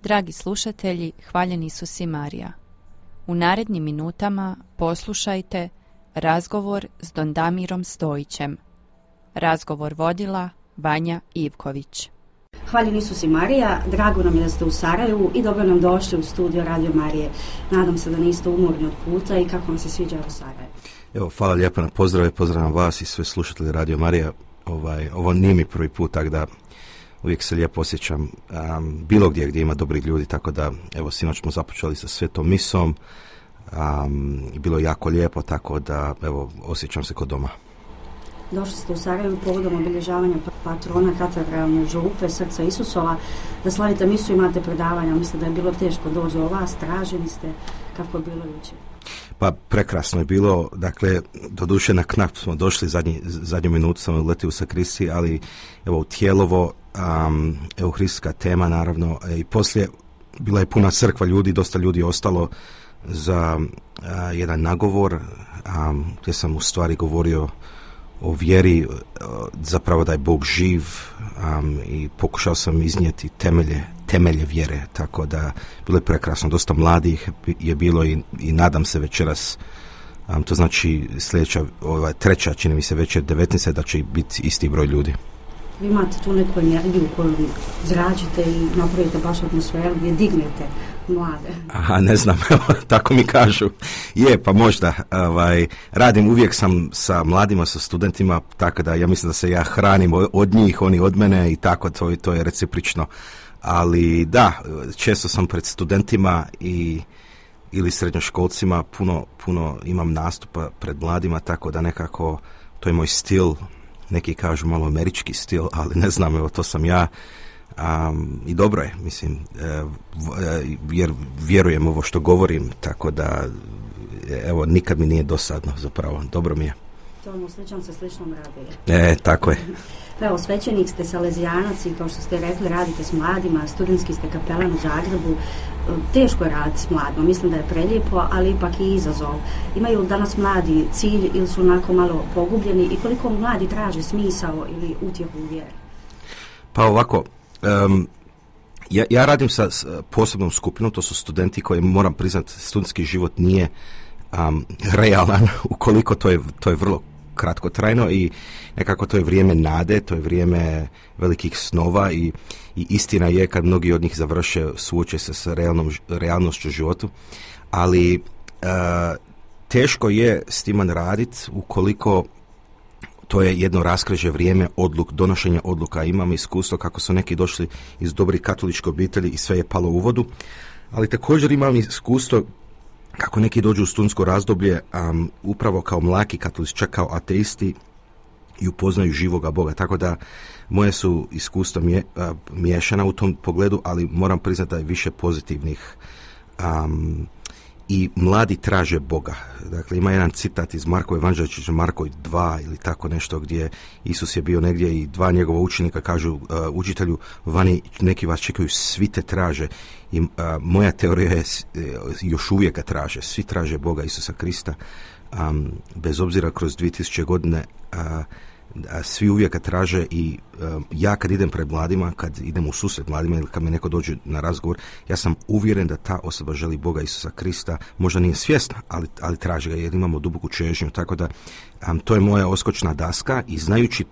Dragi slušatelji, hvaljen Isus i Marija. U narednim minutama poslušajte razgovor s Don Damirom Stojićem. Razgovor vodila Vanja Ivković. Hvaljen Isus i Marija, drago nam je da ste u Sarajevu i dobro nam došli u studio Radio Marije. Nadam se da niste umorni od puta i kako vam se sviđa u Sarajevu. Evo, hvala lijepo na pozdrave, pozdravljam vas i sve slušatelje Radio Marija. Ovo nije mi prvi put, tako da uvijek se lijepo osjećam bilo gdje ima dobrih ljudi, tako da evo sinoć smo započeli sa svetom misom i bilo je jako lijepo, tako da evo osjećam se kod doma. Došli ste u Sarajevu povodom obilježavanja patrona katedralne župe Srca Isusova, da slavite misu, imate predavanja. Mislim da je bilo teško doći do vas, traženi ste, kako je bilo jučer? Pa prekrasno je bilo, dakle, doduše na knap smo došli, zadnju minutu sam uletio u sakristiji, ali evo u Tijelovo, euharistijska tema naravno, i poslije bila je puna crkva ljudi, dosta ljudi je ostalo za jedan nagovor, gdje sam u stvari govorio o vjeri, zapravo da je Bog živ, i pokušao sam iznijeti temelje vjere, tako da bilo je prekrasno, dosta mladih je bilo i nadam se večeras, to znači sljedeća, treća, čini mi se večer 19. da će biti isti broj ljudi. Vi imate tu neku energiju koju zračite i napravite baš atmosferu gdje dignete mlade. Aha, ne znam, tako mi kažu. Je, pa možda. Radim, uvijek sam sa mladima, sa studentima, tako da ja mislim da se ja hranim od njih, oni od mene i tako, to je recipročno. Ali da, često sam pred studentima ili srednjoškolcima, puno imam nastupa pred mladima, tako da nekako to je moj stil. Neki kažu malo američki stil, ali ne znam, evo to sam ja, i dobro je, mislim, jer vjerujem ovo što govorim, tako da evo nikad mi nije dosadno, zapravo, dobro mi je. To sličan se sličnom radi. Tako je. Evo, svećenik ste, salezijanac i kao što ste rekli, radite s mladima, studentski ste kapelan u Zagrebu. Teško je raditi s mladima, mislim da je prelijepo, ali ipak i izazov. Imaju danas mladi cilj ili su onako malo pogubljeni i koliko mladi traže smisao ili utjehu u vjeri? Pa ovako, ja radim sa posebnom skupinom, to su studenti koji, moram priznati, studentski život nije realan, ukoliko to je vrlo kratkotrajno i nekako to je vrijeme nade, to je vrijeme velikih snova i istina je kad mnogi od njih završe, suoče se sa realnošću životu, ali teško je s time raditi ukoliko to je jedno raskrižje vrijeme donošenja odluka. Imam iskustvo kako su neki došli iz dobrih katoličke obitelji i sve je palo u vodu, ali također imam iskustvo kako neki dođu u studentsko razdoblje upravo kao mlaki katolici, čak kao ateisti i upoznaju živoga Boga. Tako da moje su iskustva miješana u tom pogledu, ali moram priznati da je više pozitivnih. I mladi traže Boga. Dakle, ima jedan citat iz Markove evanđelja, Marko 2 ili tako nešto, gdje Isus je bio negdje i dva njegova učenika kažu učitelju, vani neki vas čekaju, svi te traže. I moja teorija je, još uvijek ga traže, svi traže Boga, Isusa Krista, bez obzira kroz 2000 godine, svi uvijek ga traže i ja kad idem pred mladima, kad idem u susret mladima ili kad mi neko dođe na razgovor, ja sam uvjeren da ta osoba želi Boga, Isusa Krista, možda nije svjesna, ali traži ga jer imamo duboku čežnju, tako da to je moja oskočna daska i znajući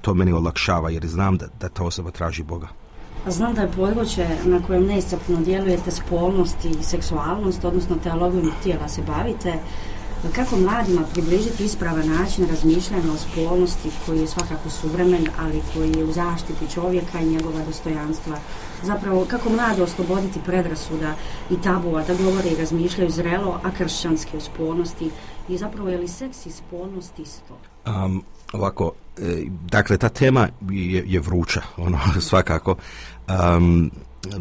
to meni olakšava jer znam da ta osoba traži Boga. Znam da je područje na kojem neiscrpno djelujete spolnost i seksualnost, odnosno teologijom tijela se bavite. Kako mladima približiti ispravan način razmišljanja o spolnosti koji je svakako suvremen, ali koji je u zaštiti čovjeka i njegova dostojanstva? Zapravo, kako mlade osloboditi predrasuda i tabua da govore i razmišljaju zrelo, a kršćanski o spolnosti? I zapravo, je li seks i spolnost isto? Ovako, dakle, ta tema je vruća, svakako.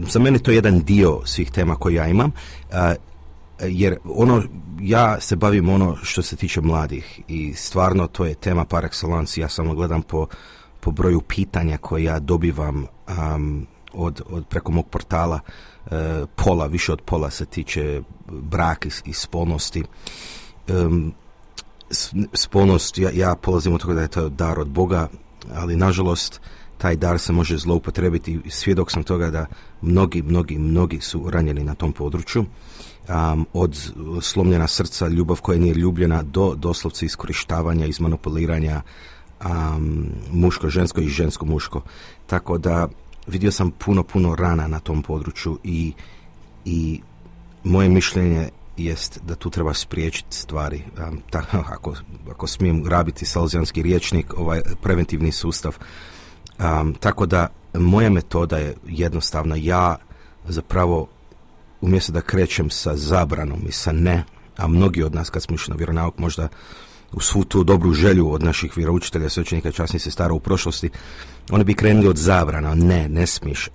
Za mene to je jedan dio svih tema koje ja imam, jer ja se bavim što se tiče mladih i stvarno to je tema par excellence. Ja samo gledam po broju pitanja koje ja dobivam od preko mog portala, više od pola se tiče brak i spolnosti. Spolnost, ja polazim od toga da je to dar od Boga, ali nažalost taj dar se može zloupotrebiti. Svjedok sam toga da mnogi su ranjeni na tom području. Od slomljena srca, ljubav koja nije ljubljena, do doslovce iskorištavanja, izmanipuliranja, muško-žensko i žensko-muško. Tako da vidio sam puno rana na tom području i moje mišljenje jest da tu treba spriječiti stvari. Ako smijem rabiti salzijanski rječnik, preventivni sustav. Tako da moja metoda je jednostavna. Ja zapravo umjesto da krećem sa zabranom i sa ne, a mnogi od nas kad smo išli na vjeronauk možda u svu tu dobru želju od naših vjeroučitelja, svećenika i časnih sestara u prošlosti, oni bi krenuli od zabrana, ne smiješ.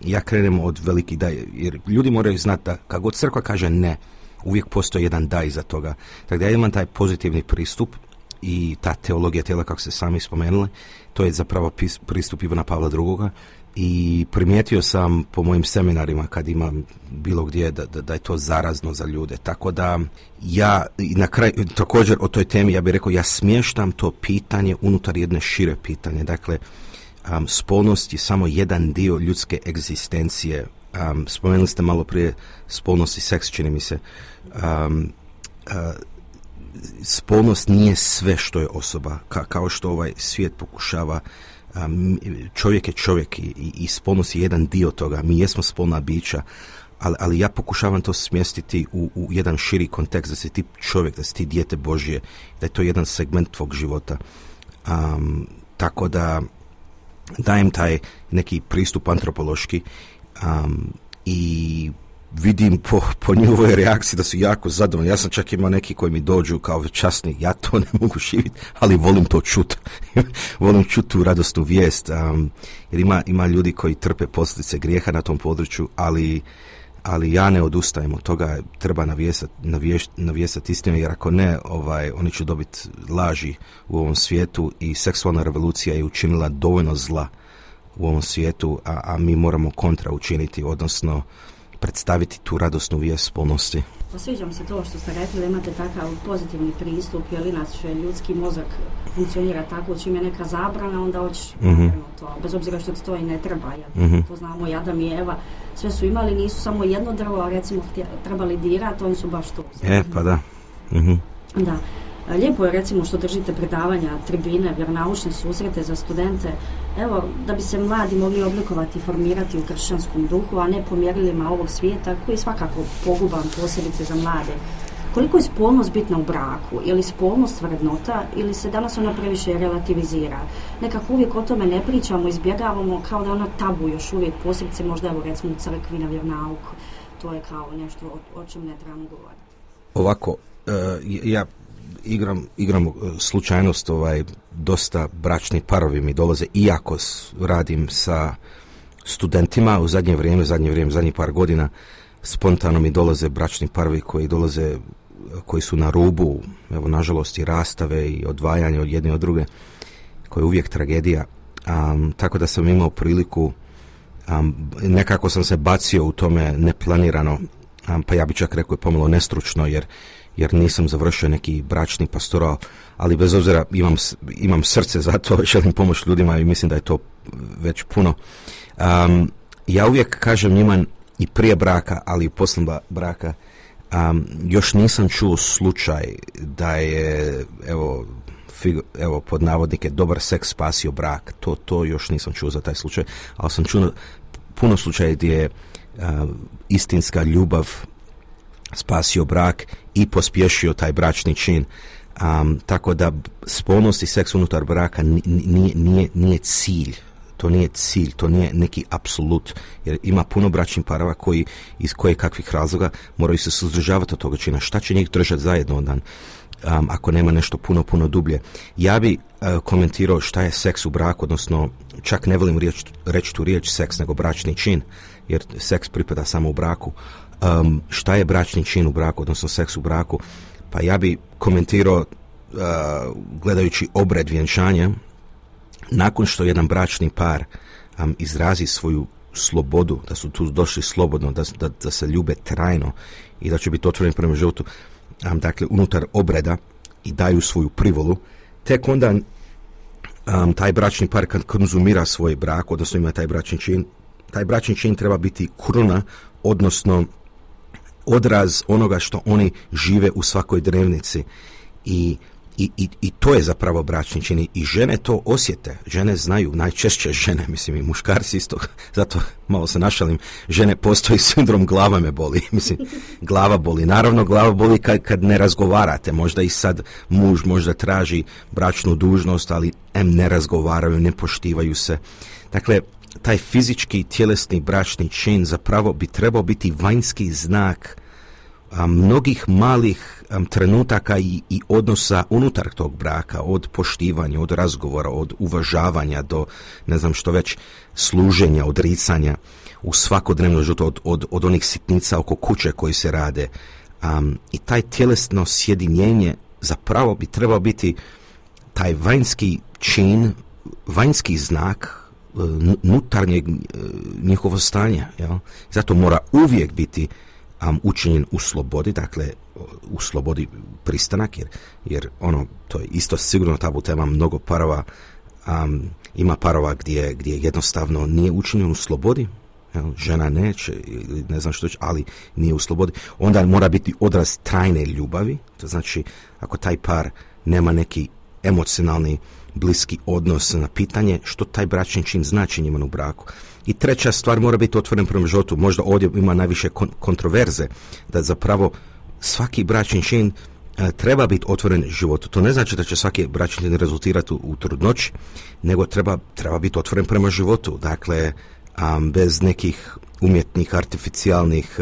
Ja krenem od velikih da, jer ljudi moraju znati da kako god crkva kaže ne, uvijek postoji jedan da iza toga. Tako da ja imam taj pozitivni pristup i ta teologija tijela, kako ste sami spomenuli, to je zapravo pristup Ivana Pavla II. I primijetio sam po mojim seminarima kad imam bilo gdje da je to zarazno za ljude. Tako da ja na kraju također o toj temi ja bih rekao ja smještam to pitanje unutar jedne šire pitanje. Dakle, spolnost je samo jedan dio ljudske egzistencije. Spomenuli ste malo prije spolnost i seks, čini mi se. Spolnost nije sve što je osoba, kao što ovaj svijet pokušava. Čovjek je čovjek i spolnost je jedan dio toga. Mi jesmo spolna bića, ali ja pokušavam to smjestiti u jedan širi kontekst, da si ti čovjek, da si ti dijete Božje, da je to jedan segment tvog života. Tako da dajem taj neki pristup antropološki i vidim po njihovoj reakciji da su jako zadovoljni. Ja sam čak imao neki koji mi dođu kao časni, ja to ne mogu živjeti, ali volim to čuti. Volim čuti tu radosnu vijest, jer ima ljudi koji trpe posljedice grijeha na tom području, ali ja ne odustajem od toga, treba navijestati istinu, jer ako ne, oni će dobiti laži u ovom svijetu i seksualna revolucija je učinila dovoljno zla u ovom svijetu, a mi moramo kontra učiniti, odnosno predstaviti tu radosnu vijest spolnosti. Sviđa mi se to što ste rekli da imate takav pozitivni pristup, jer inače ljudski mozak funkcionira tako, čim je neka zabrana, onda hoćeš to, bez obzira što ti to i ne treba. To znamo i Adam i Eva, sve su imali, nisu samo jedno drvo, a recimo trebali dirati, oni su baš to. Pa da. Da. Lijepo je recimo što držite predavanja, tribine, vjeronaučne susrete za studente, evo, da bi se mladi mogli oblikovati i formirati u kršćanskom duhu, a ne po mjerilima ovog svijeta, koji je svakako poguban, posebice za mlade. Koliko je spolnost bitna u braku? Je li spolnost vrednota ili se danas ona previše relativizira? Nekako uvijek o tome ne pričamo, izbjegavamo kao da ona tabu još uvijek, posebice možda evo recimo u crkvi na vjeronauku. To je kao nešto o čem ne trebamo govoriti. Ovako, ja igram slučajnost, dosta bračni parovi mi dolaze, iako radim sa studentima u zadnjih par godina, spontano mi dolaze bračni parovi koji su na rubu, evo nažalost i rastave i odvajanje od jedne od druge, koja je uvijek tragedija. Tako da sam imao priliku, nekako sam se bacio u tome neplanirano, pa ja bi čak rekao je pomalo nestručno, jer nisam završio neki bračni pastoral, ali bez obzira imam srce za to, želim pomoći ljudima i mislim da je to već puno. Ja uvijek kažem njima i prije braka, ali i poslije braka, još nisam čuo slučaj da je, evo pod navodnike, dobar seks spasio brak. To još nisam čuo za taj slučaj, ali sam čuo puno slučaja gdje je istinska ljubav spasio brak i pospješio taj bračni čin. Tako da spolnost i seks unutar braka nije cilj. To nije cilj, to nije neki apsolut. Jer ima puno bračnih parova koji iz koje kakvih razloga moraju se suzdržavati od toga čina. Šta će njih držati zajedno ondan? Ako nema nešto puno dublje. Ja bi komentirao šta je seks u braku, odnosno čak ne volim reći tu riječ seks, nego bračni čin, jer seks pripada samo u braku. Šta je bračni čin u braku, odnosno seks u braku? Pa ja bi komentirao gledajući obred vjenčanja, nakon što jedan bračni par izrazi svoju slobodu, da su tu došli slobodno, da se ljube trajno i da će biti otvoreni prema životu, dakle unutar obreda i daju svoju privolu, tek onda taj bračni par kad konzumira svoj brak, odnosno ima taj bračni čin treba biti kruna, odnosno odraz onoga što oni žive u svakoj dnevnici. I to je zapravo bračni čin. I žene to osjete. Žene znaju, najčešće žene, mislim i muškarci isto, zato malo se našalim, žene postoji sindrom glava me boli. Mislim, glava boli. Naravno, glava boli kad ne razgovarate. Možda i sad muž možda traži bračnu dužnost, ali ne razgovaraju, ne poštivaju se. Dakle, taj fizički i tjelesni bračni čin zapravo bi trebao biti vanjski znak mnogih malih trenutaka i odnosa unutar tog braka, od poštivanja, od razgovora, od uvažavanja do, ne znam što već, služenja, odricanja u svakodnevnom životu, od onih sitnica oko kuće koji se rade. I taj tjelesno sjedinjenje zapravo bi trebao biti taj vanjski čin, vanjski znak unutarnjeg njihovo stanja. Jel? Zato mora uvijek biti učinjen u slobodi, dakle u slobodi pristanak, jer to je isto sigurno tabu tema, mnogo parova, ima parova gdje jednostavno nije učinjen u slobodi, žena neće, ne znam što će, ali nije u slobodi, onda mora biti odraz trajne ljubavi, to znači ako taj par nema neki emocionalni bliski odnos na pitanje što taj bračni čin znači njima u braku. I treća stvar, mora biti otvoren prema životu. Možda ovdje ima najviše kontroverze, da zapravo svaki bračni čin treba biti otvoren životu. To ne znači da će svaki bračni čin rezultirati u trudnoći, nego treba biti otvoren prema životu. Dakle, bez nekih umjetnih, artificijalnih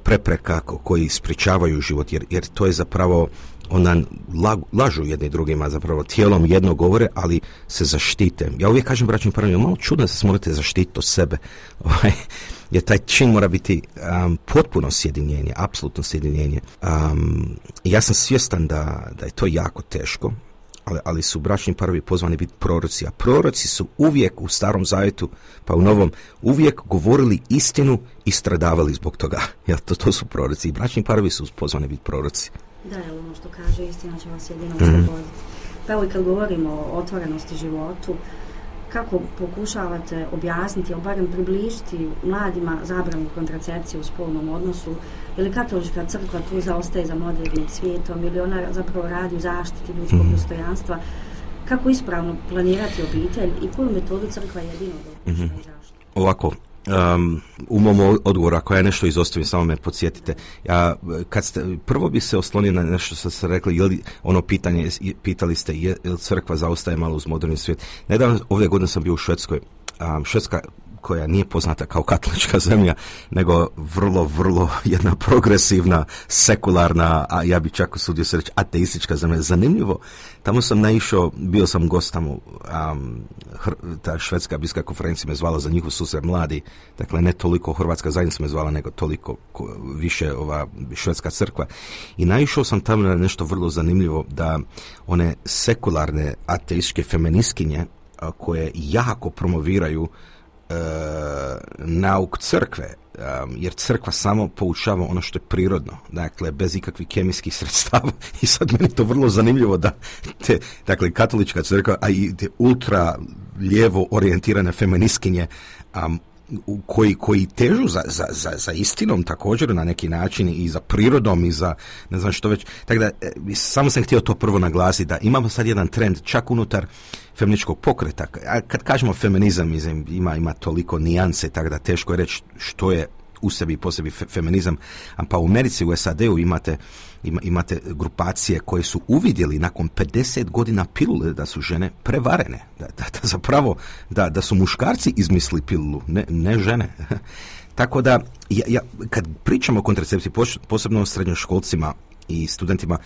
prepreka koji sprječavaju život, jer to je zapravo onda lažu jedni drugima, zapravo tijelom jedno govore, ali se zaštite. Ja uvijek kažem bračnim parovima, malo čudno da se morate zaštititi od sebe, jer taj čin mora biti potpuno sjedinjenje, apsolutno sjedinjenje. Ja sam svjestan da je to jako teško, ali su bračni parovi pozvani biti proroci, a proroci su uvijek u Starom Zavjetu, pa u Novom, uvijek govorili istinu i stradavali zbog toga. Ja, to su proroci i bračni parovi su pozvani biti proroci. Da, je ono što kaže, istina će vas jedino osloboditi. Pa evo i kad govorimo o otvorenosti životu, kako pokušavate objasniti, ili barem približiti mladima zabranu kontracepcije u spolnom odnosu, ili katolička crkva tu zaostaje za modernim svijetom, ili ona zapravo radi u zaštiti ljudskog dostojanstva, kako ispravno planirati obitelj i koju metodu crkva jedino dopušta u zaštitu? Ovako, u mom odgovoru, ako ja nešto izostavim, samo me podsjetite. Prvo bi se oslonio na nešto što ste rekli, pitali ste, je li crkva zaostaje malo uz moderni svijet. Nedavno, ove godine sam bio u Švedskoj. Švedska, koja nije poznata kao katolička zemlja, nego vrlo, vrlo jedna progresivna, sekularna, a ja bi čak usudio se reći ateistička zemlja. Zanimljivo, tamo sam naišao, bio sam gost tamo, ta švedska biskupska konferencija me zvala za njihov susret mladi, dakle ne toliko hrvatska zajednica me zvala, nego toliko više ova švedska crkva. I naišao sam tamo na nešto vrlo zanimljivo, da one sekularne ateističke feministkinje koje jako promoviraju nauk crkve, jer crkva samo poučava ono što je prirodno, dakle bez ikakvih kemijskih sredstava. I sad meni to vrlo zanimljivo da dakle katolička crkva, a i te ultra lijevo orijentirane feministkinje koji težu za istinom također na neki način i za prirodom i za ne znam što već. Tako da samo sam htio to prvo naglasiti, da imamo sad jedan trend čak unutar feminističkog pokreta. A kad kažemo feminizam, ima toliko nijanse, tako da teško je reći što je u sebi i po sebi feminizam. Pa u Americi, u SAD-u imate grupacije koje su uvidjeli nakon 50 godina pilule da su žene prevarene. Da zapravo da su muškarci izmislili pilulu, ne žene. Tako da, kad pričamo o kontracepciji, posebno o srednjoškolcima i studentima,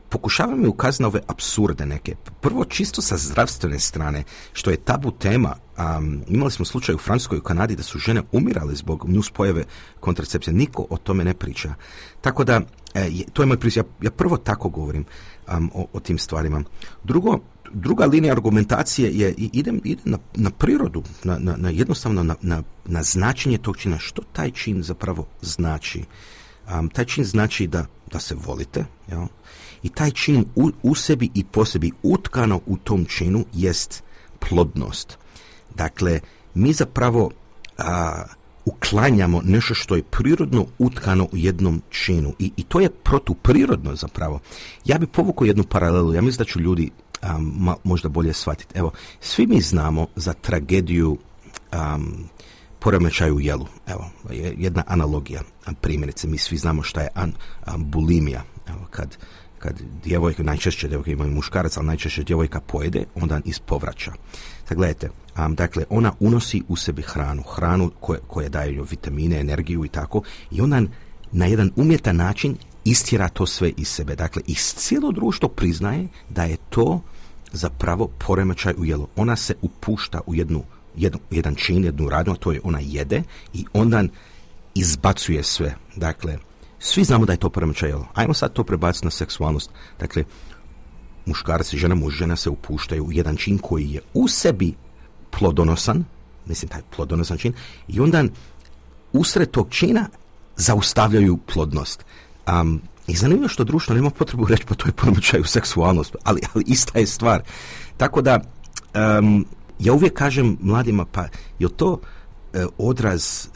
pokušavamo ukazati na ove apsurde neke. Prvo, čisto sa zdravstvene strane, što je tabu tema. Imali smo slučaj u Francuskoj i Kanadi da su žene umirale zbog nuspojave kontracepcije. Niko o tome ne priča. Tako da, to je moj pristup. Ja prvo tako govorim o tim stvarima. Druga linija argumentacije je ide na prirodu, na jednostavno na značenje tog čina. Što taj čin zapravo znači? Taj čin znači da da se volite, jel? I taj čin u sebi i po sebi utkano u tom činu jest plodnost. Dakle, mi zapravo uklanjamo nešto što je prirodno utkano u jednom činu i to je protuprirodno zapravo. Ja bi povukao jednu paralelu, ja mislim da ću ljudi možda bolje shvatiti. Evo, svi mi znamo za tragediju poremećaju u jelu. Evo, jedna analogija, primjerice, mi svi znamo šta je bulimija. Evo, kad djevojka, najčešće djevojka imaju muškarac, ali najčešće djevojka pojede, onda ispovraća. Sad gledajte, dakle, ona unosi u sebi hranu koja daje joj vitamine, energiju i tako, i onda na jedan umjetan način istjera to sve iz sebe. Dakle, i cijelo društvo priznaje da je to zapravo poremećaj u jelu. Ona se upušta u jedan čin, jednu radnju, a to je ona jede i onda izbacuje sve. Dakle, svi znamo da je to poremećaj jela. Ajmo sad to prebaciti na seksualnost. Dakle, muškarac i žena se upuštaju u jedan čin koji je u sebi plodonosan, mislim taj plodonosan čin, i onda usred tog čina zaustavljaju plodnost. I zanimljivo što društvo nema potrebu reći pa to je poremećaj seksualnost, ali ista je stvar. Tako da ja uvijek kažem mladima, pa je to odraz,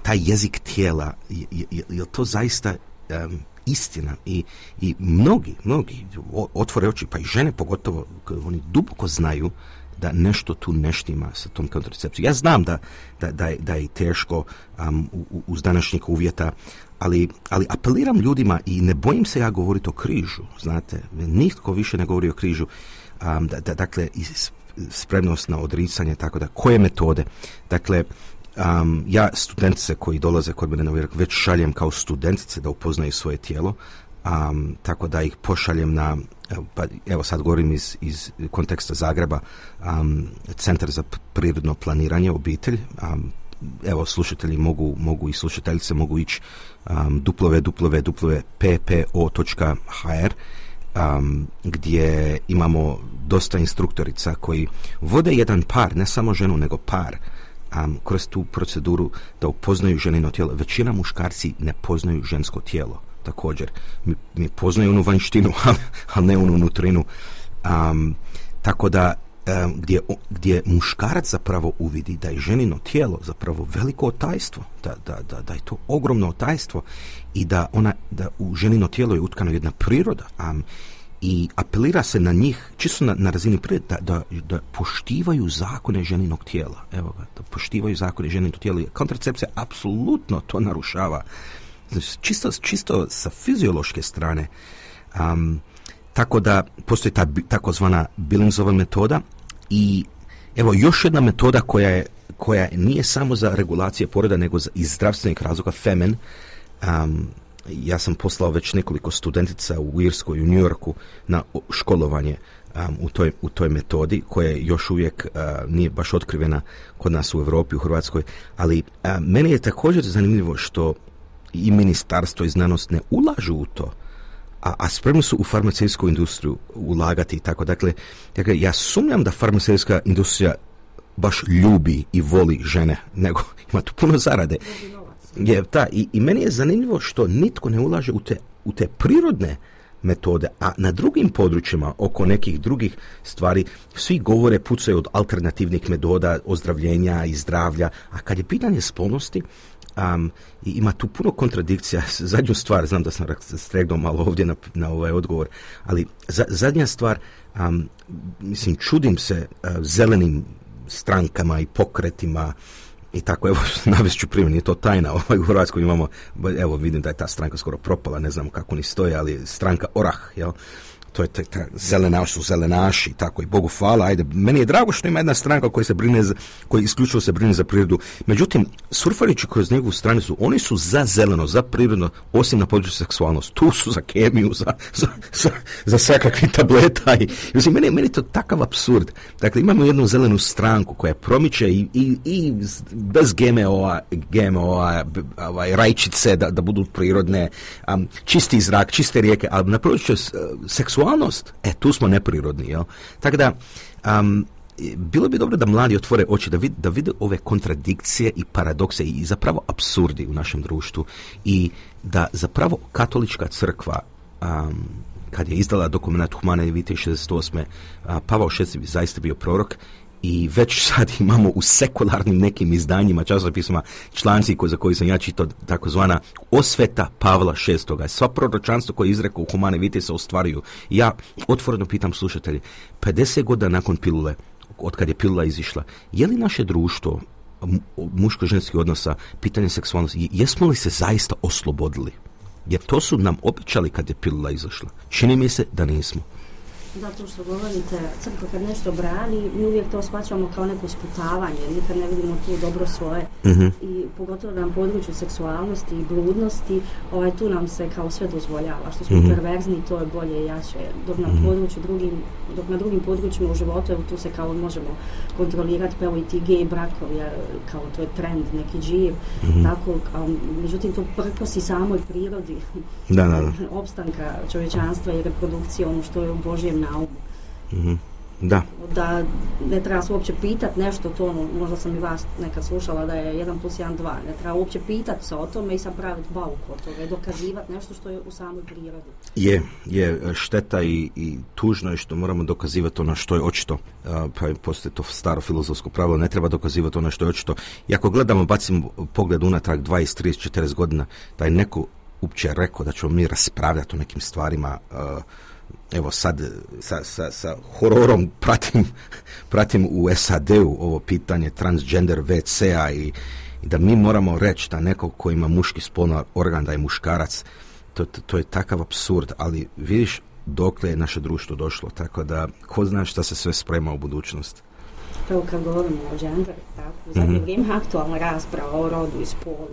taj jezik tijela, je to zaista istina i mnogi otvore oči, pa i žene pogotovo, oni duboko znaju da nešto tu ne štima sa tom kontracepcijom. Ja znam da je teško uz današnjih uvjeta, ali apeliram ljudima i ne bojim se ja govoriti o križu, znate, nitko više ne govori o križu, dakle, spremnost na odricanje, tako da, koje metode? Dakle, ja studentice koji dolaze kod mene na vjerak već šaljem kao studentice da upoznaju svoje tijelo, tako da ih pošaljem na, pa evo sad govorim iz konteksta Zagreba, Centar za prirodno planiranje, obitelj, evo slušatelji mogu i slušateljice mogu ići www.ppo.hr, gdje imamo dosta instruktorica koji vode jedan par, ne samo ženu nego par, kroz tu proceduru da upoznaju ženino tijelo. Većina muškarci ne poznaju žensko tijelo. Također, mi poznaju onu vanjštinu, ali ne onu unutrinu. Tako da, gdje muškarac zapravo uvidi da je ženino tijelo zapravo veliko otajstvo, da je to ogromno otajstvo i da u ženino tijelo je utkano jedna priroda, i apelira se na njih, čisto na razini prirode, da poštivaju zakone ženinog tijela. Evo ga, da poštivaju zakone ženinog tijela. Kontracepcija apsolutno to narušava. Čisto sa fiziološke strane. Tako da postoji ta takozvana Billingsova metoda i evo još jedna metoda koja nije samo za regulacije poroda, nego iz zdravstvenih razloga, FEMEN. Ja sam poslao već nekoliko studentica u Irskoj i u New Yorku na školovanje u toj metodi, koja još uvijek nije baš otkrivena kod nas u Europi, u Hrvatskoj, ali meni je također zanimljivo što i ministarstvo i znanost ne ulažu u to, a spremni su u farmaceutsku industriju ulagati i tako. Dakle, ja sumnjam da farmaceutska industrija baš ljubi i voli žene, nego ima tu puno zarade. I meni je zanimljivo što nitko ne ulaže u te prirodne metode, a na drugim područjima oko nekih drugih stvari svi govore, pucaju od alternativnih metoda ozdravljenja i zdravlja, a kad je pitanje spolnosti, ima tu puno kontradikcija. Zadnju stvar, znam da sam stregnuo malo ovdje na ovaj odgovor, ali zadnja stvar, mislim, čudim se zelenim strankama i pokretima i tako, evo, navest ću primjer, nije to tajna, u Hrvatskoj imamo, evo, vidim da je ta stranka skoro propala, ne znam kako ni stoje, ali stranka Orah, jel? To je ta zelenaši, tako, i Bogu hvala, ajde, meni je drago što ima jedna stranka koja isključivo se brine za prirodu. Međutim, surfajući kroz njegovu stranicu, oni su za zeleno, za prirodno, osim na području seksualnosti. Tu su za kemiju, za svakakvih tableta. I meni je to takav apsurd. Dakle, imamo jednu zelenu stranku koja promiče i bez GMO-a, rajčice da budu prirodne, čisti zrak, čiste rijeke, ali na području seksualnost, tu smo neprirodni, jel? Tako da, bilo bi dobro da mladi otvore oči, da vide ove kontradikcije i paradokse i zapravo apsurdi u našem društvu i da zapravo katolička crkva kad je izdala dokument Humanae Vitae 68. Pavao VI bi zaista bio prorok i već sad imamo u sekularnim nekim izdanjima, časopisima, članci za koji sam ja čitao, takozvana osveta Pavla VI. Sva proročanstva koje je izrekao u Humanae Vitae se ostvaruju. Ja otvoreno pitam slušatelje, 50 godina nakon pilule, od kad je pilula izišla, je li naše društvo muško-ženskih odnosa, pitanje seksualnosti, jesmo li se zaista oslobodili? Jer to su nam obećali kad je pilula izašla. Čini mi se da nismo. Da, to što govorite, crkva kad nešto brani, mi uvijek to shvaćamo kao neko sputavanje, nikad ne vidimo tu dobro svoje. I pogotovo na području seksualnosti i bludnosti, tu nam se kao sve dozvoljava. Što smo perverzni, to je bolje i jače. Dok na drugim područjima u životu, evo tu se kao možemo kontrolirati, pa evo i ti gej brakovi, kao to je trend, neki dživ, tako, međutim to prkosi samoj prirodi opstanka čovječanstva i reprodukcije, ono što je u Božjem naumu. Da ne treba se uopće pitati nešto to, možda sam i vas nekad slušala da je 1 + 1 2, ne treba uopće pitati se o tome i sad praviti bauk od toga i dokazivati nešto što je u samoj prirodi. Je šteta i tužno je što moramo dokazivati ono što je očito, pa postoji to staro filozofsko pravilo, ne treba dokazivati ono što je očito. I ako gledamo, bacimo pogled unatrag 20, 30, 40 godina, da je neko uopće rekao da ćemo mi raspravljati o nekim stvarima. Evo sad sa hororom pratim u SAD-u ovo pitanje transgender WC-a i da mi moramo reći da neko ko ima muški spolni organ da je muškarac, to je takav apsurd, ali vidiš dokle je naše društvo došlo, tako da ko zna šta se sve sprema u budućnosti. Evo kad govorimo o genderu, tako, u zadnje vrijeme aktualna rasprava o rodu i spolu.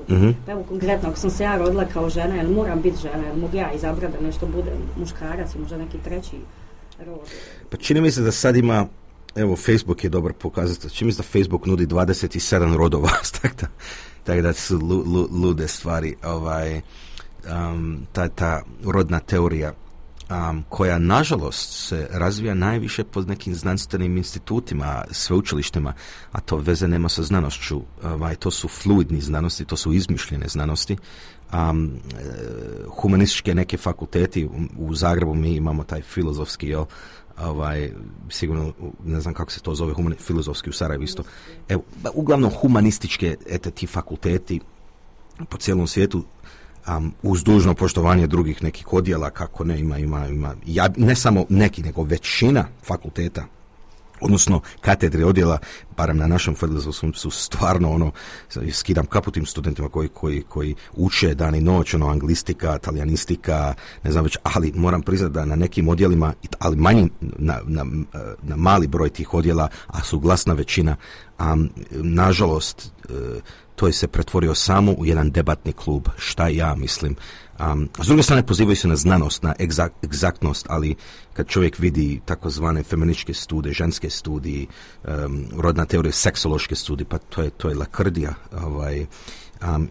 Evo konkretno, ako sam se ja rodila kao žena, jel moram biti žena, jel mogu ja izabrati da nešto bude muškarac i možda neki treći rod? Pa čini mi se da sad ima, evo Facebook je dobar pokazatelj, čini mi se da Facebook nudi 27 rodova, tako da su lude stvari. Ta rodna teorija koja nažalost se razvija najviše pod nekim znanstvenim institutima, sveučilištima, a to veze nema sa znanošću. To su fluidni znanosti, to su izmišljene znanosti. Humanističke neke fakulteti u Zagrebu mi imamo taj filozofski, sigurno ne znam kako se to zove, filozofski u Sarajevu isto. Evo, uglavnom humanističke ti fakulteti po cijelom svijetu, uz dužno poštovanje drugih nekih odjela, kako ne, ima ne samo neki, nego većina fakulteta, odnosno katedre odjela, barem na našem filozofskom, su stvarno skidam kapu tim studentima koji uče dan i noć, anglistika, talijanistika, ne znam već, ali moram priznati da na nekim odjelima, ali manji, na mali broj tih odjela, a su glasna većina, nažalost, to je se pretvorio samo u jedan debatni klub, šta ja mislim. S druge strane pozivaju se na znanost, na egzaktnost, ali kad čovjek vidi takozvane feminističke studije, ženske studije, rodna teorija, seksološke studije, pa to je lakrdija,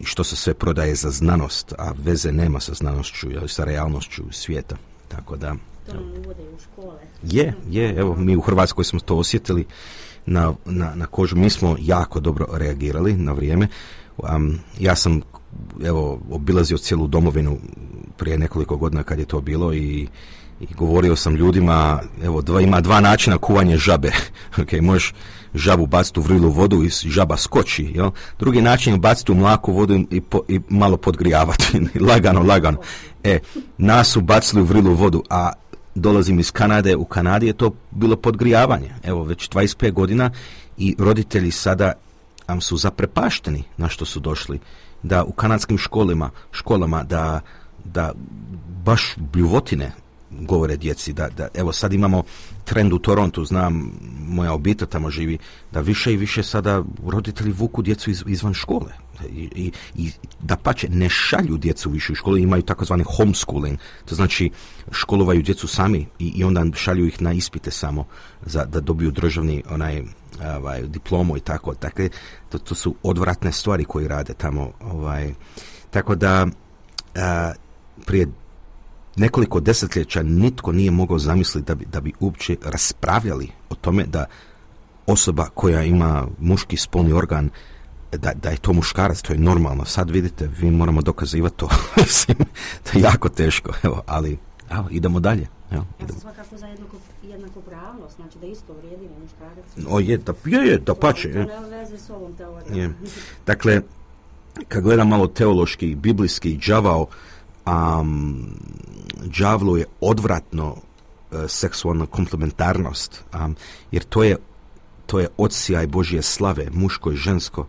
i što se sve prodaje za znanost, a veze nema sa znanošću, sa realnošću svijeta. Tako da... To nam uvode u škole. Je, evo, mi u Hrvatskoj smo to osjetili na kožu. Mi smo jako dobro reagirali na vrijeme. Ja sam obilazio cijelu domovinu prije nekoliko godina kad je to bilo i govorio sam ljudima, ima 2 načina kuvanja žabe. Možeš žabu baciti u vrilu vodu i žaba skoči. Jel? Drugi način je baciti u mlaku vodu i malo podgrijavati. lagano. Nas su bacili u vrilu vodu, a dolazim iz Kanade, u Kanadi je to bilo podgrijavanje. Evo, već 25 godina i roditelji sada su zaprepašteni na što su došli. Da u kanadskim školama da baš bljuvotine govore djeci. Evo sad imamo trend u Torontu, znam, moja obitelj tamo živi, da više i više sada roditelji vuku djecu izvan škole. I dapače, ne šalju djecu više u školu, imaju takozvani homeschooling, to znači školovaju djecu sami i onda šalju ih na ispite samo da dobiju državni diplomu i tako. Dakle, to su odvratne stvari koje rade tamo. Tako da prije nekoliko desetljeća nitko nije mogao zamisliti da bi uopće raspravljali o tome da osoba koja ima muški spolni organ, da je to muškarac, to je normalno. Sad vidite, vi moramo dokazivati to. To je jako teško, ali Evo, idemo dalje. Evo, Ja sam svakako za jednakopravnost, znači da isto vrijedi muškarac. Da pače. To nema veze s ovom teorijom. Dakle, kad gledam malo teološki, biblijski, đavlu je odvratno seksualna komplementarnost, jer to je odsjaj Božje slave, muško i žensko,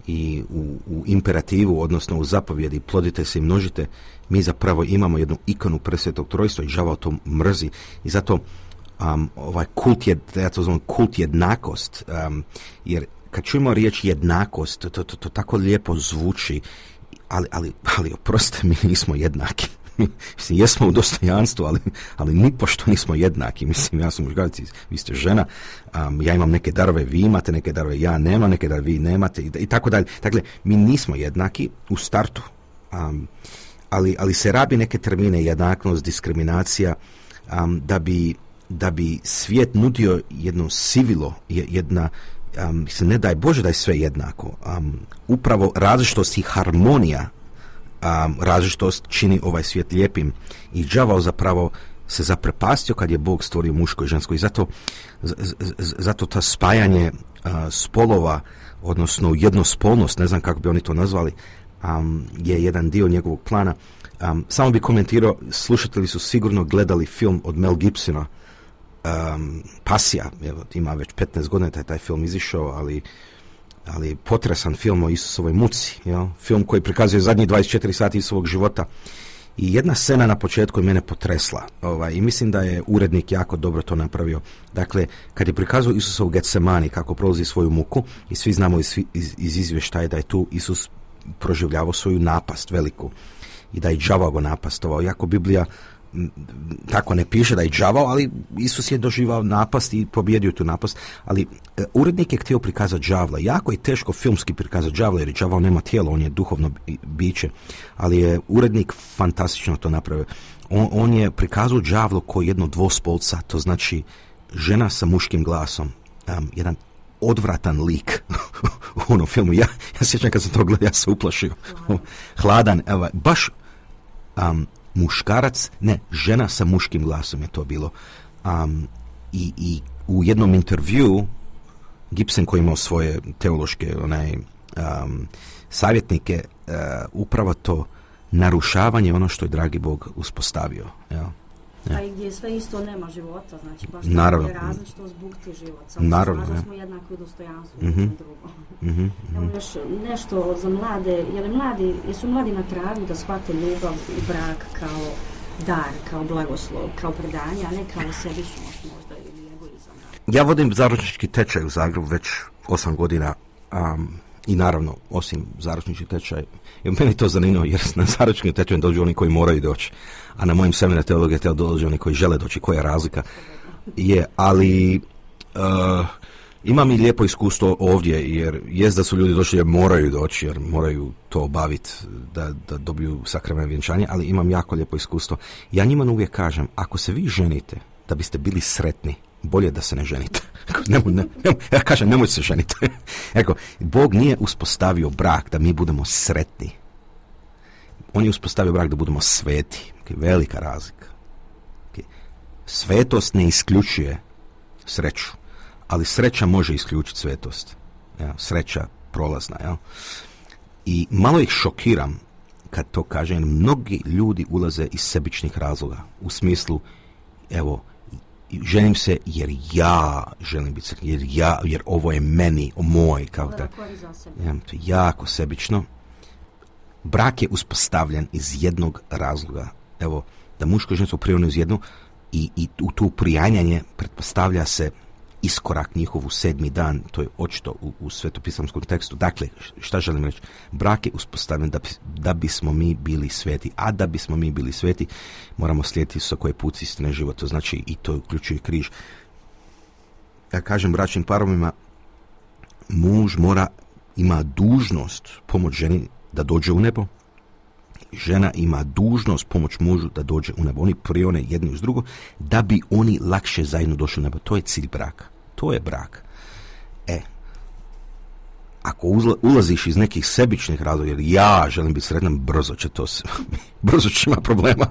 i u imperativu, odnosno u zapovjedi plodite se i množite, mi zapravo imamo jednu ikonu presvetog trojstva i đavao to mrzi, i zato ovaj kult ja to zovem kult jednakost, jer kad čujemo riječ jednakost, to tako lijepo zvuči, ali oprostite, mi nismo jednaki. Mislim, jesmo u dostojanstvu, ali nipošto nismo jednaki. Mislim, ja sam muškarac, vi ste žena, ja imam neke darove, vi imate neke darove, ja nemam neke darove, vi nemate, i tako dalje. Dakle, mi nismo jednaki u startu, ali se rabi neke termine, jednakost, diskriminacija, da bi svijet nudio jedno sivilo, ne daj Bože da je sve jednako. Upravo različitost i harmonija, različitost čini ovaj svijet lijepim, i đavao zapravo se zaprepastio kad je Bog stvorio muško i žensko, i zato ta spajanje spolova, odnosno jednospolnost, ne znam kako bi oni to nazvali, je jedan dio njegovog plana. Samo bi komentirao, slušatelji su sigurno gledali film od Mel Gibsona, Pasija, evo, ima već 15 godina taj film izišao, ali potresan film o Isusovoj muci, jel? Film koji prikazuje zadnjih 24 sati iz svog života, i jedna scena na početku je mene potresla, i mislim da je urednik jako dobro to napravio. Dakle, kad je prikazao Isusa u Getsemani kako prolazi svoju muku, i svi znamo iz izvještaja da je tu Isus proživljavao svoju napast veliku i da je đavao go napastovao, iako Biblija tako ne piše da je đavao, ali Isus je doživao napast i pobjedio tu napast. Ali urednik je htio prikazati đavla. Jako je teško filmski prikazati đavla, jer đavao nema tijelo, on je duhovno biće, ali je urednik fantastično to napravio. On je prikazao đavlo kao jedno dvospolca, to znači žena sa muškim glasom, jedan odvratan lik u onom filmu. Ja sjećam kad sam to gledao, ja se uplašio. Hladan, evo, baš muškarac, ne, žena sa muškim glasom je to bilo. I u jednom intervju Gibson, koji imao svoje teološke savjetnike, upravo to narušavanje ono što je dragi Bog uspostavio. Ja. A i gdje sve isto nema života, znači baš naravno, je različito zbukti život. Samo naravno, se smo jednako u dostojanstvu, drugo. Evo još nešto za mlade, jesu mladi na tragu da shvate ljubav i brak kao dar, kao blagoslov, kao predanje, a ne kao sebičnost možda ili egoizam. Ja vodim zaručnički tečaj u Zagrebu već 8 godina, i naravno, osim zaručnički tečaj, meni to zanimljivo, jer na zaručnički tečaj dođu oni koji moraju doći, a na mojim seminarima teologije dođu oni koji žele doći. Koja je razlika? Ali imam i lijepo iskustvo ovdje, jer jest da su ljudi došli jer moraju doći, jer moraju to obaviti da dobiju sakrament vjenčanja, ali imam jako lijepo iskustvo. Ja njima uvijek kažem, ako se vi ženite da biste bili sretni, bolje da se ne ženite. Ja kažem, nemojte se ženiti. Bog nije uspostavio brak da mi budemo sretni. On je uspostavio brak da budemo sveti. Velika razlika. Svetost ne isključuje sreću, ali sreća može isključiti svetost. Sreća prolazna. I malo ih šokiram kad to kažem. Mnogi ljudi ulaze iz sebičnih razloga. U smislu, evo, ženim se jer ja želim biti sretni, jer ovo je meni, moj, kao to je jako sebično. Brak je uspostavljen iz jednog razloga. Evo, da muško i žensko prirodno iz jednu, i u tu prijanjanje pretpostavlja se iskorak njihov u 7. dan, to je očito u svetopisamskom tekstu. Dakle, šta želim reći? Brak je uspostavljen da bismo mi bili sveti, a da bismo mi bili sveti moramo slijediti Isusa koji je put, istina i život, to znači i to uključuje križ. Ja kažem bračnim parovima, muž ima dužnost pomoć ženi da dođe u nebo, žena ima dužnost pomoć mužu da dođe u nebo. Oni prione jedni uz drugo da bi oni lakše zajedno došli u nebo. To je cilj braka. To je brak. Ako ulaziš iz nekih sebičnih razloga, jer ja želim biti sretan, brzo će ima problema.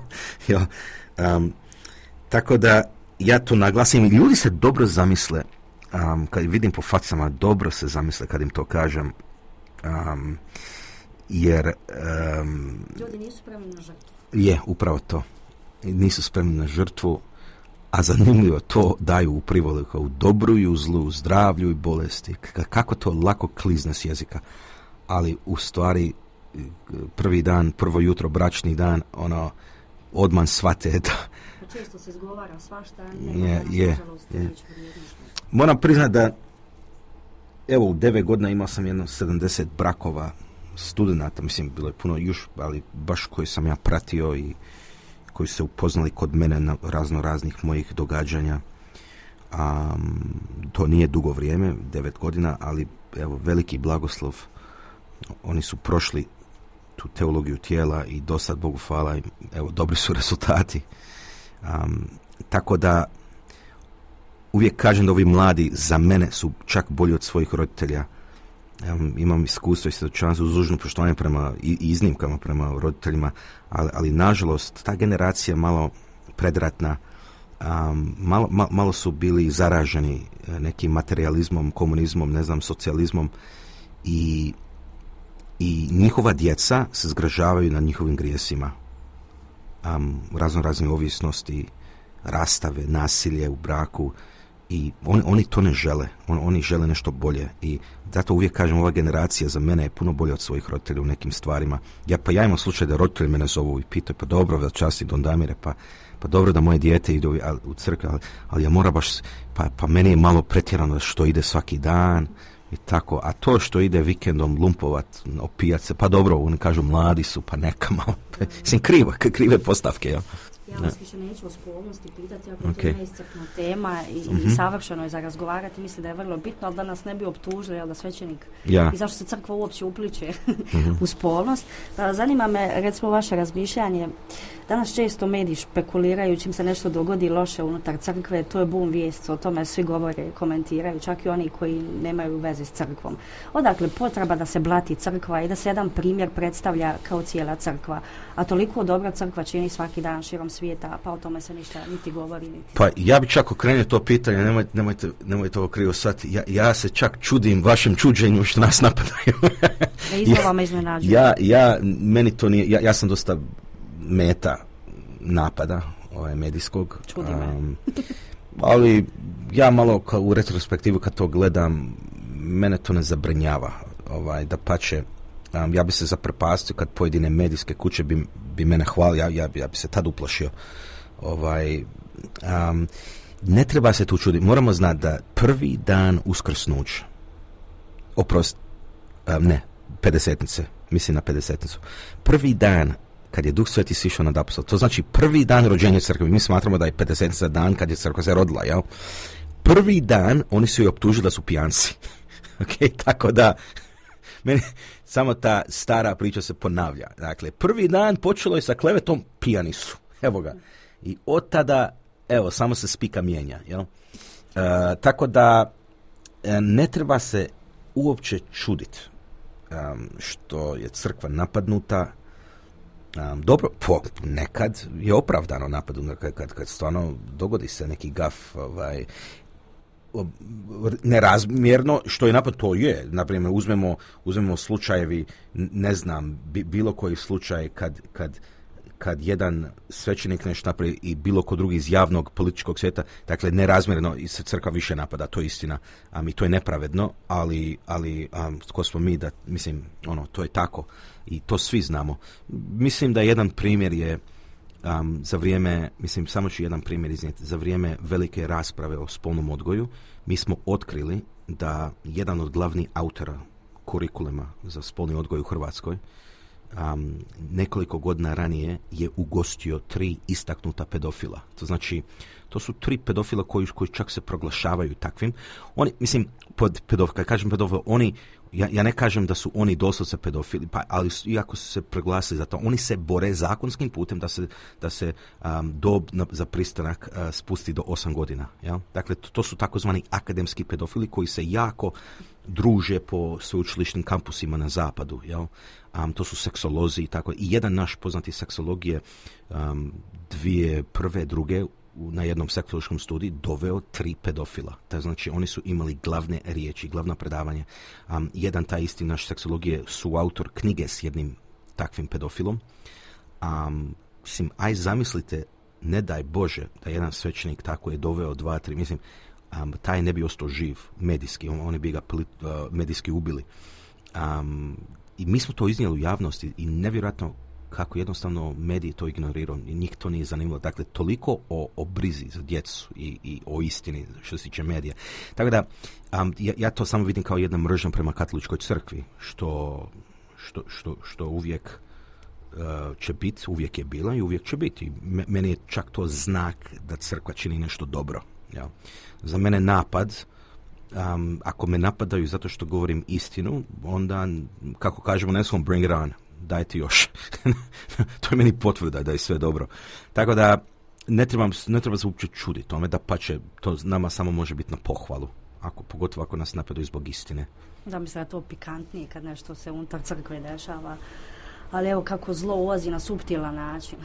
Tako da ja to naglasim. Ljudi se dobro zamisle, kad vidim po facama, dobro se zamisle kad im to kažem, jer ljudi nisu spremni na žrtvu. Je, upravo to. Nisu spremni na žrtvu, a zanimljivo to daju u privolu kao u dobru i u zlu, u zdravlju i bolesti. Kako to lako klizne s jezika. Ali u stvari prvi dan, prvo jutro, bračni dan, odmah shvate da... Često se izgovara svašta, je. Moram priznati da evo u 9 godina imao sam jedno 70 brakova studenata, mislim bilo je puno još, ali baš koji sam ja pratio i koji se upoznali kod mene na raznih mojih događanja. To nije dugo vrijeme, 9 godina, ali evo veliki blagoslov. Oni su prošli tu teologiju tijela i do sad, Bogu hvala, evo dobri su rezultati. Tako da uvijek kažem da ovi mladi za mene su čak bolji od svojih roditelja. Imam iskustvo i svjedočanstvo uz dužno poštovanje prema i iznimkama prema roditeljima, ali nažalost ta generacija malo predratna, malo su bili zaraženi nekim materializmom, komunizmom, ne znam, socijalizmom i njihova djeca se zgražavaju na njihovim grijesima. Razne ovisnosti, rastave, nasilje u braku i oni to ne žele. Oni žele nešto bolje i zato uvijek kažem, ova generacija za mene je puno bolja od svojih roditelja u nekim stvarima. Ja imam slučaj da roditelji mene zovu i pitaju, pa dobro, časti Don Damire, pa dobro da moje dijete ide u crkvu, ali ja moram baš, pa meni je malo pretjerano što ide svaki dan i tako, a to što ide vikendom lumpovat, opijat se, pa dobro, oni kažu mladi su, pa neka malo, mislim krive postavke, ja. Ja vas više neću o spolnosti pitati, ako to je neiscrpna tema i savršeno je za razgovarati, mislim da je vrlo bitno, ali da nas ne bi optužili, da svećenik i zašto se crkva uopće upliče u spolnost. Zanima me, recimo, vaše razmišljanje. Danas često mediji špekuliraju čim se nešto dogodi loše unutar crkve, to je bum vijest, o tome svi govore, komentiraju, čak i oni koji nemaju veze s crkvom. Odakle potreba da se blati crkva i da se jedan primjer predstavlja kao cijela crkva, a toliko dobra crkva čini svaki dan širom svijeta, pa o tome se ništa niti govori, niti... Pa ja bi čak okrenio to pitanje, nemojte ovo krivo shvatiti, ja se čak čudim vašem čuđenju što nas napadaju. Iznova me iznenađuju. Meni to nije, ja sam dosta meta napada medijskog. Čudi me. Ali ja malo u retrospektivu kad to gledam, mene to ne zabrinjava. Dapače, ja bi se zaprepastio kad pojedine medijske kuće bi mene hvalili, ja bi se tad uplašio. Ne treba se tu čuditi. Moramo znati da prvi dan uskrsnuća, pedesetnice, mislim na pedesetnicu, prvi dan kad je Duh Sveti sišao nad apostol, to znači prvi dan rođenja crkve. Mi smatramo da je pedesetnica dan kad je crkva se rodila, jel? Prvi dan oni su je optužili da su pijanci. Tako da meni samo ta stara priča se ponavlja. Dakle, prvi dan počelo je sa klevetom, pijani su. Evo ga. I od tada, samo se spika mijenja, jel? Tako da ne treba se uopće čuditi što je crkva napadnuta. Dobro, nekad je opravdano napadnuta kad stvarno dogodi se neki gaf nerazmjerno, što je napad, to je. Naprimjer, uzmemo slučajevi, ne znam, bilo koji slučaj kad jedan svećenik nešto napravi i bilo ko drugi iz javnog političkog svijeta, dakle nerazmjerno se crkva više napada, to je istina, i to je nepravedno, ali tko smo mi da, mislim, to je tako i to svi znamo. Mislim da jedan primjer je za vrijeme, mislim, samo ću jedan primjer iznijeti, za vrijeme velike rasprave o spolnom odgoju, mi smo otkrili da jedan od glavnih autora kurikuluma za spolni odgoj u Hrvatskoj nekoliko godina ranije je ugostio 3 istaknuta pedofila. To znači, To su 3 pedofila koji čak se proglašavaju takvim. Oni, mislim, kad kažem pedofil, oni, ja ne kažem da su oni doslovce pedofili, ali iako su se proglasili za to, oni se bore zakonskim putem da se dob za pristanak spusti do 8 godina. Ja? Dakle, to su takozvani akademski pedofili koji se jako druže po sveučilišnim kampusima na zapadu. Ja? To su seksolozi i tako. I jedan naš poznati seksolog je 2001. na jednom seksološkom studiju doveo 3 pedofila. Znači, oni su imali glavne riječi, glavna predavanja. Jedan taj isti naš seksolog je suautor knjige s jednim takvim pedofilom. Mislim, aj zamislite, ne daj Bože, da jedan svećenik tako je doveo 2-3, mislim, taj ne bi ostao živ medijski, oni bi ga medijski ubili. I mi smo to iznijeli u javnosti i nevjerojatno kako jednostavno mediji to ignorirao i njih to nije zanimalo. Dakle, toliko o brizi za djecu i o istini što se tiče medija. Tako da, ja to samo vidim kao jedna mržnja prema katoličkoj crkvi, što uvijek će biti, uvijek je bila i uvijek će biti. Meni je čak to znak da crkva čini nešto dobro. Ja. Za mene napad, ako me napadaju zato što govorim istinu, onda, kako kažemo, ne svom bring it on, dajte još. To je meni potvrda da je sve dobro. Tako da ne treba se uopće čuditi tome, da pa će to nama samo može biti na pohvalu, pogotovo ako nas napadaju zbog istine. Da, mislim da je to pikantnije kad nešto se unutar crkve dešava, ali evo kako zlo ulazi na suptilan način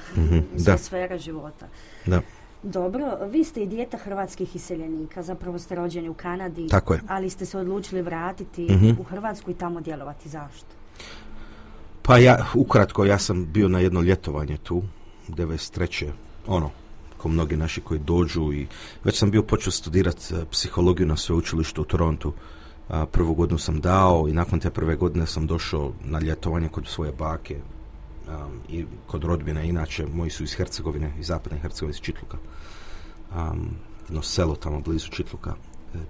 sve sfere života. Da. Dobro, vi ste i dijete hrvatskih iseljenika, zapravo ste rođeni u Kanadi, ali ste se odlučili vratiti u Hrvatsku i tamo djelovati. Zašto? Pa ukratko, ja sam bio na jedno ljetovanje tu, 93. Ko mnogi naši koji dođu, i već sam bio počeo studirati psihologiju na sveučilištu u Torontu. Prvu godinu sam dao i nakon te prve godine sam došao na ljetovanje kod svoje bake i kod rodbine. Inače, moji su iz Hercegovine, iz zapadne Hercegovine, iz Čitluka. Jedno selo tamo blizu Čitluka.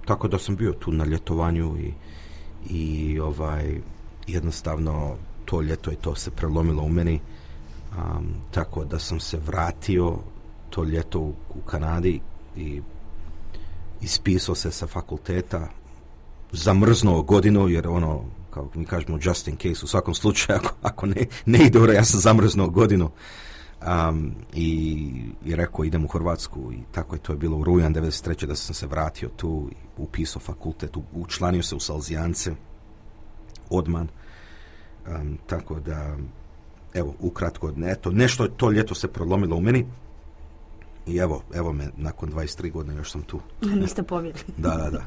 Tako da sam bio tu na ljetovanju i jednostavno to ljeto i to se prelomilo u meni. Tako da sam se vratio to ljeto u Kanadi i ispisao se sa fakulteta, zamrznuo godinu, jer kako mi kažemo, just in case, u svakom slučaju, ako ne ide dobro, ja sam zamrznuo godinu i rekao idem u Hrvatsku, i tako je to je bilo u rujan 93. da sam se vratio tu, upisao fakultet, učlanio se u Salzijance odman. Tako da, evo, ukratko, nešto to ljeto se prolomilo u meni i evo me, nakon 23 godine još sam tu. Niste pobjegli. Da.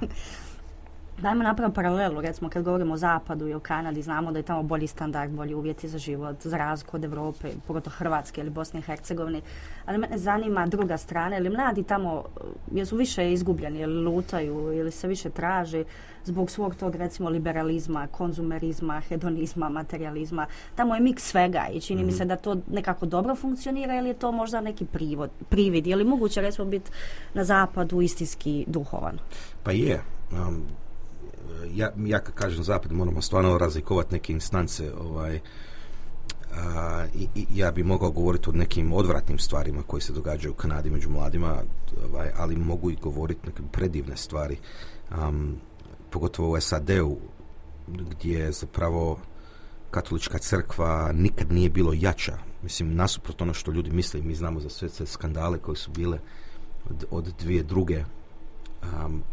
Dajmo napraviti paralelu, recimo kad govorimo o Zapadu i o Kanadi, znamo da je tamo bolji standard, bolji uvjeti za život, za razliku od Europe, pogotovo Hrvatske ili Bosne i Hercegovine. Ali mene zanima druga strana, ili mladi tamo jesu više izgubljeni, ili lutaju, ili se više traže zbog svog tog, recimo, liberalizma, konzumerizma, hedonizma, materializma. Tamo je miks svega i čini mi se da to nekako dobro funkcionira, ili je to možda neki privid, je li moguće, recimo, biti na Zapadu istinski duhovan? Pa je. Ja kad kažem zapad, moramo stvarno razlikovati neke instance. Ja bi mogao govoriti o nekim odvratnim stvarima koji se događaju u Kanadi među mladima, ali mogu i govoriti neke predivne stvari. Pogotovo u SAD-u, gdje zapravo katolička crkva nikad nije bilo jača. Mislim, nasuprot ono što ljudi misle, mi znamo za sve skandale koje su bile od 2002.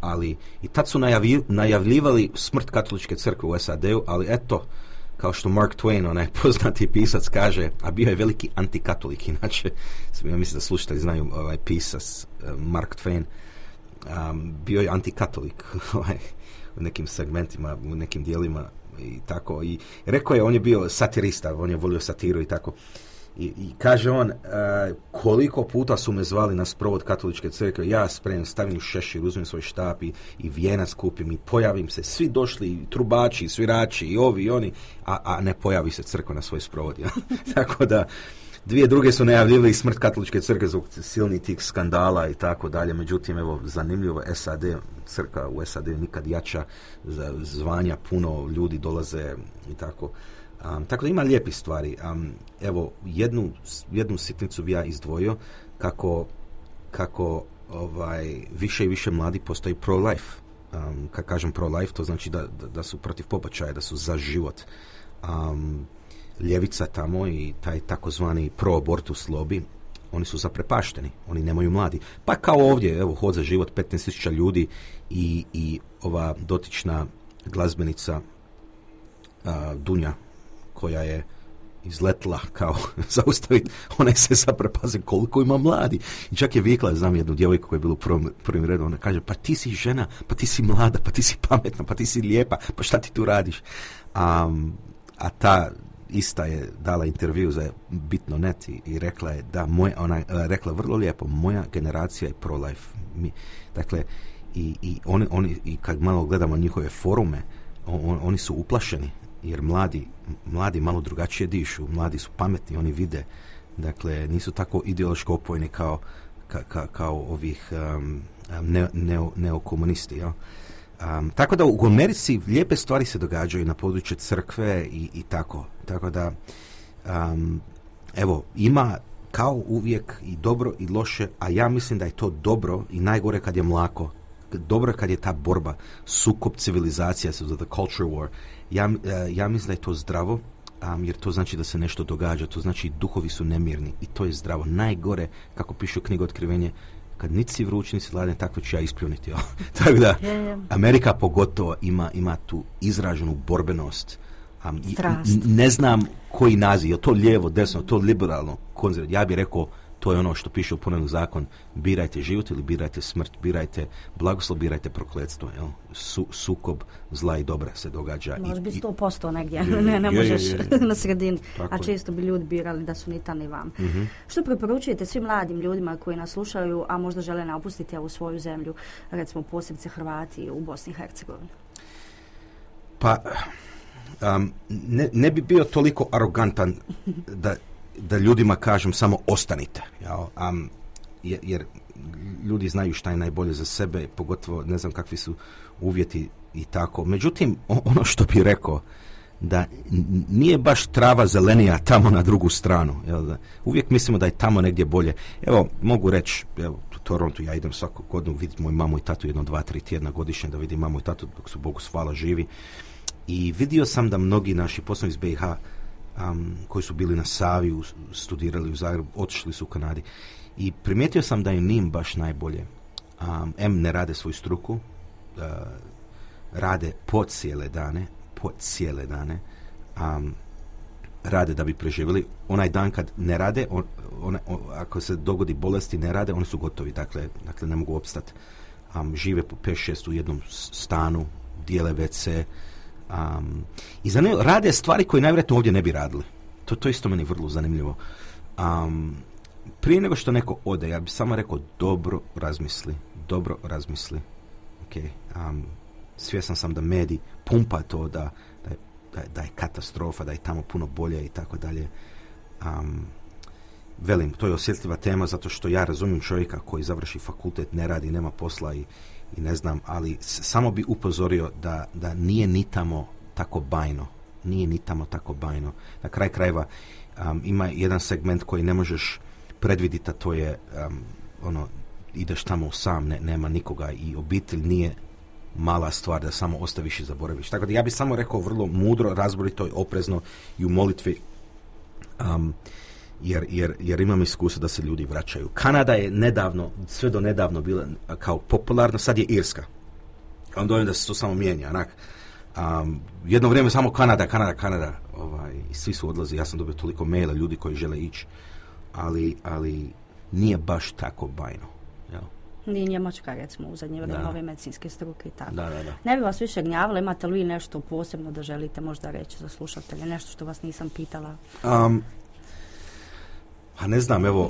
Ali i tad su najavljivali smrt katoličke crkve u SAD-u, ali eto, kao što Mark Twain, onaj poznati pisac, kaže, a bio je veliki antikatolik, inače, ja mislim da slušatelji znaju pisac Mark Twain, bio je antikatolik u nekim segmentima, u nekim dijelima i tako, i rekao je, on je bio satirista, on je volio satiru i tako. I kaže on, koliko puta su me zvali na sprovod katoličke crkve, ja spremim, stavim šešir, uzmem svoj štap i vijenac kupim i pojavim se, svi došli, i trubači, i svirači, i ovi, i oni, a ne pojavi se crkva na svoj sprovod. Ja? Tako da, 2002. su najavljivali smrt katoličke crkve zbog silnih tih skandala i tako dalje. Međutim, evo, zanimljivo, crkva u SAD nikad jača, za zvanja puno ljudi dolaze i tako. Tako da ima lijepih stvari. Evo, jednu sitnicu bi ja izdvojio kako više i više mladi postoji pro-life. Kad kažem pro-life, to znači da su protiv pobačaja, da su za život. Ljevica tamo i taj takozvani pro-abortus lobby, oni su zaprepašteni, oni nemaju mladi. Pa kao ovdje, evo, Hod za život, 15,000 ljudi i ova dotična glazbenica Dunja, koja je izletila kao zaustaviti, ona se zaprepaze koliko ima mladi. I čak je vikla, znam jednu djevojku koja je bila u prvim redu, ona kaže, pa ti si žena, pa ti si mlada, pa ti si pametna, pa ti si lijepa, pa šta ti tu radiš? A ta ista je dala intervju za Bitno.net i rekla je da ona rekla vrlo lijepo, moja generacija je pro-life. Dakle, i oni kad malo gledamo njihove forume, oni su uplašeni, jer mladi malo drugačije dišu, mladi su pametni, oni vide, dakle, nisu tako ideološko opojni kao ovih neokomunisti, ja. Tako da u Americi lijepe stvari se događaju na području crkve i tako da evo, ima kao uvijek i dobro i loše, a ja mislim da je to dobro i najgore kad je mlako. Dobro je kad je ta borba, sukob civilizacija, so the culture war. Ja mislim da je to zdravo, jer to znači da se nešto događa, to znači duhovi su nemirni i to je zdravo. Najgore, kako piše u knjigu Otkrivenje, kad niti si vruć, niti si hladan, takvo ću ja ispljuniti. Tako da, Amerika pogotovo ima tu izraženu borbenost. Ne znam koji naziv, je to lijevo, desno, to liberalno, konzervativno. Ja bih rekao, to je ono što piše u Ponovni zakon, birajte život ili birajte smrt, birajte blagoslov, birajte prokletstvo. Sukob zla i dobra se događa. Može biti 100% negdje, ne možeš na sredini. A često bi ljudi birali da su ni tam ni vam. Mm-hmm. Što preporučujete svim mladim ljudima koji nas slušaju, a možda žele napustiti u svoju zemlju, recimo posebice Hrvati u Bosni i Hercegovini? Pa, ne bi bio toliko arogantan da ljudima kažem samo ostanite, jer ljudi znaju šta je najbolje za sebe, pogotovo ne znam kakvi su uvjeti i tako. Međutim, ono što bih rekao, da nije baš trava zelenija tamo na drugu stranu. Uvijek mislimo da je tamo negdje bolje. Evo, mogu reći, u Torontu ja idem svaku godinu vidjeti moju mamu i tatu 1, 2, 3 tjedna godišnje da vidim mamu i tatu dok su Bogu hvala živi. I vidio sam da mnogi naši poslovi iz BiH koji su bili na Savi, studirali u Zagrebu, otišli su u Kanadi. I primijetio sam da im nije baš najbolje. Ne rade svoju struku, rade po cijele dane, rade da bi preživjeli. Onaj dan kad ne rade, ako se dogodi bolesti, ne rade, oni su gotovi, dakle ne mogu opstati. Žive po 5-6 u jednom stanu, dijele WC, i rade stvari koje najvjerojatnije ovdje ne bi radili. To isto meni vrlo zanimljivo. Prije nego što neko ode, ja bih samo rekao dobro razmisli. Okay. Svjestan sam da medij pumpa to da je katastrofa, da je tamo puno bolje i tako dalje. Velim, to je osjetljiva tema zato što ja razumijem čovjeka koji završi fakultet, ne radi, nema posla i ne znam, ali samo bi upozorio da nije ni tamo tako bajno. Na kraj krajeva ima jedan segment koji ne možeš predvidjeti, a to je ideš tamo sam, nema nikoga i obitelj nije mala stvar da samo ostaviš i zaboraviš. Tako da ja bih samo rekao vrlo mudro, razborito i oprezno i u molitvi, jer imam iskustvo da se ljudi vraćaju. Kanada je sve do nedavno bila kao popularna, sad je Irska. Onda dojem da se to samo mijenja. Jedno vrijeme samo Kanada. I svi su odlazi. Ja sam dobio toliko maila ljudi koji žele ići. Ali nije baš tako bajno. Jel? Ni Njemačka, recimo, u zadnje vrijeme ove medicinske struke i tako. Da. Ne bi vas više gnjavila, imate li nešto posebno da želite možda reći za slušatelje, nešto što vas nisam pitala? Ne znam, evo,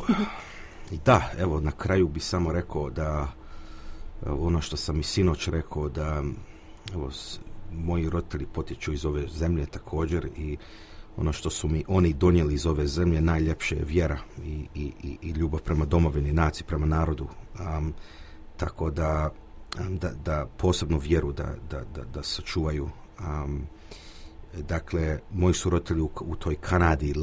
na kraju bi samo rekao da ono što sam i sinoć rekao, da moji roditelji potječu iz ove zemlje također i ono što su mi oni donijeli iz ove zemlje najljepše je vjera i ljubav prema domovini, naciji, prema narodu. Tako da posebno vjeru da sačuvaju. Dakle, moji su roditelji u toj Kanadi,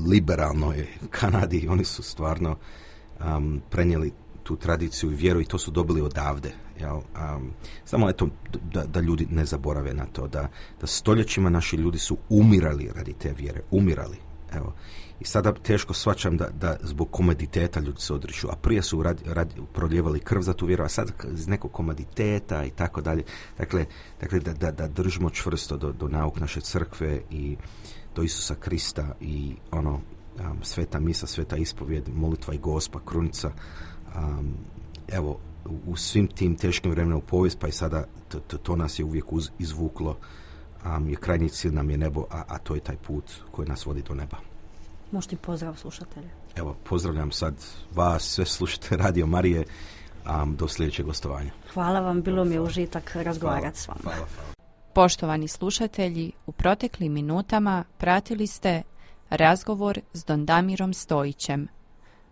liberalnoj Kanadi, oni su stvarno prenijeli tu tradiciju i vjeru i to su dobili odavde. Jel? Samo eto da ljudi ne zaborave na to, da stoljećima naši ljudi su umirali radi te vjere, umirali. Evo. I sada teško shvaćam da zbog komoditeta ljudi se odriču, a prije su proljevali krv za tu vjeru, a sad iz nekog komoditeta i tako dalje. Dakle da držimo čvrsto do nauk naše crkve i do Isusa Krista i sveta misa, sveta ispovjed, molitva i Gospa, krunica. Evo, u svim tim teškim vremenima u povijest, pa i sada to nas je uvijek izvuklo. Je krajnji cilj nam je nebo, a to je taj put koji nas vodi do neba. Možete pozdrav slušatelje. Evo, pozdravljam sad vas, sve slušate Radio Marije, do sljedećeg gostovanja. Hvala vam, bilo mi je užitak razgovarati s vama. Hvala. Poštovani slušatelji, u proteklim minutama pratili ste razgovor s Don Damirom Stojićem.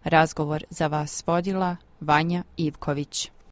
Razgovor za vas vodila Vanja Ivković.